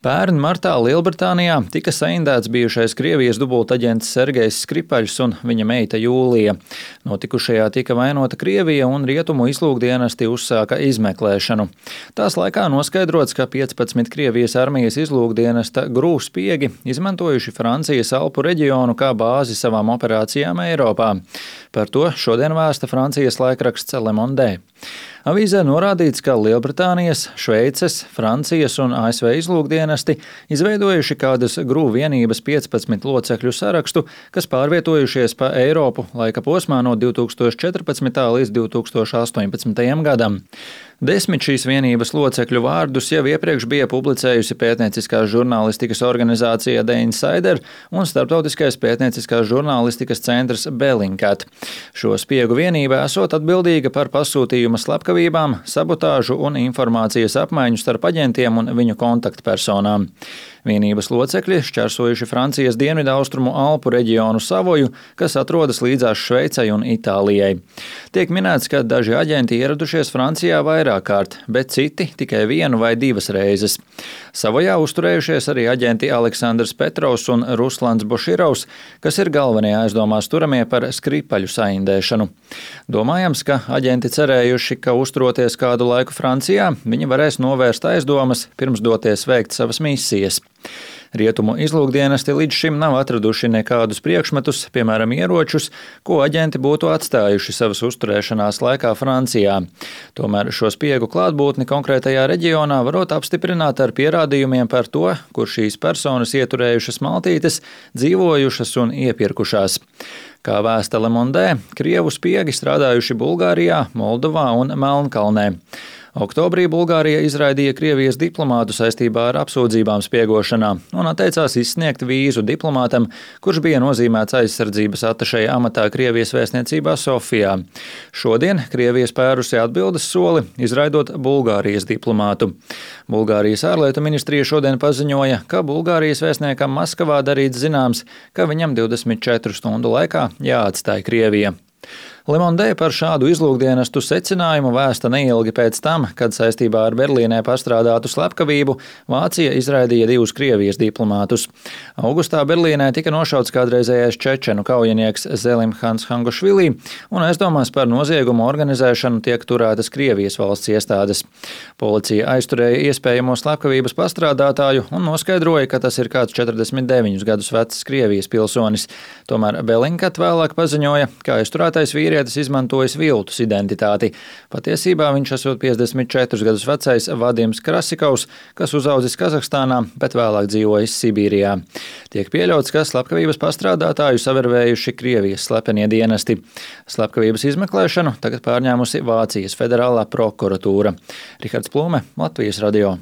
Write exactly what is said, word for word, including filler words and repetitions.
Pērn martā Lielbritānijā tika saindēts bijušais Krievijas dubultaģents Sergejs Skripaļs un viņa meita Jūlija. Notikušajā tika vainota Krievija un rietumu izlūkdienesti uzsāka izmeklēšanu. Tās laikā noskaidrots, ka piecpadsmit Krievijas armijas izlūkdienesta grūvspiegi izmantojuši Francijas Alpu reģionu kā bāzi savām operācijām Eiropā. Par to šodien vēsta Francijas laikraksts Le Monde. Avīzē norādīts, ka Lielbritānijas, Šveices, Francijas un A S V izlūkdienesti izveidojuši kādas grūvu vienības piecpadsmit locekļu sarakstu, kas pārvietojušies pa Eiropu laika posmā no divi tūkstoši četrpadsmitā līdz divi tūkstoši astoņpadsmitajam gadam. Desmit šīs vienības locekļu vārdus jau iepriekš bija publicējusi pētnieciskās žurnālistikas organizācija The Insider un starptautiskais pētnieciskās žurnālistikas centrs Bellingcat. Šo spiegu vienība esot atbildīga par pasūtījuma slepkavībām, sabotāžu un informācijas apmaiņu starp aģentiem un viņu kontaktpersonām. Vienības locekļi šķērsojuši Francijas dienvidaustrumu Alpu reģionu Savoju, kas atrodas līdzās Šveicei un Itālijai. Tiek minēts, ka daži aģenti ieradušies Francijā vairāk kārt, bet citi tikai vienu vai divas reizes. Savojā uzturējušies arī aģenti Aleksandrs Petrovs un Ruslans Boširovs, kas ir galvenie aizdomās turamie par Skripaļu saindēšanu. Domājams, ka aģenti cerējuši, ka uzturoties kādu laiku Francijā, viņi varēs novērst aizdomas, pirms doties veikt savas misijas. Rietumu izlūkdienesti līdz šim nav atraduši nekādus priekšmetus, piemēram, ieročus, ko aģenti būtu atstājuši savas uzturēšanās laikā Francijā. Tomēr šo spiegu klātbūtni konkrētajā reģionā varot apstiprināt ar pierādījumiem par to, kur šīs personas ieturējušas maltītes, dzīvojušas un iepirkušās. Kā vēsta Le Monde, Krievu spiegi strādājuši Bulgārijā, Moldovā un Melnkalnē. Oktobrī Bulgārija izraidīja Krievijas diplomātu saistībā ar apsūdzībām spiegošanā un atteicās izsniegt vīzu diplomātam, kurš bija nozīmēts aizsardzības atašeja amatā Krievijas vēstniecībā Sofijā. Šodien Krievija spērusi atbildes soli, izraidot Bulgārijas diplomātu. Bulgārijas ārlietu ministrija šodien paziņoja, ka Bulgārijas vēstniekam Maskavā darīts zināms, ka viņam divdesmit četru stundu laikā jāatstāj Krievija. Le Monde par šādu izlūkdienestu secinājumu vēsta neilgi pēc tam, kad saistībā ar Berlīnē pastrādātu slepkavību Vācija izraidīja divus Krievijas diplomātus. Augustā Berlīnē tika nošauts kādreizējais čečenu kaujinieks Zelimhans Hangošvili, un aizdomās par noziegumu organizēšanu tiek turētas Krievijas valsts iestādes. Policija aizturēja iespējamo slepkavības pastrādātāju un noskaidroja, ka tas ir kāds četrdesmit deviņus gadus vecs Krievijas pilsonis. Tomēr Bellingcat vēlāk paziņoja, ka aizturētais vīrietis izmantojis viltus identitāti. Patiesībā viņš esot piecdesmit četrus gadus vecais Vadims Krasikovs, kas uzaudzis Kazahstānā, bet vēlāk dzīvojis Sibīrijā. Tiek pieļauts, ka slepkavības pastrādātāju savervējuši Krievijas slepenie dienesti. Slepkavības izmeklēšanu tagad pārņēmusi Vācijas federālā prokuratūra. Rihards Plūme, Latvijas radio.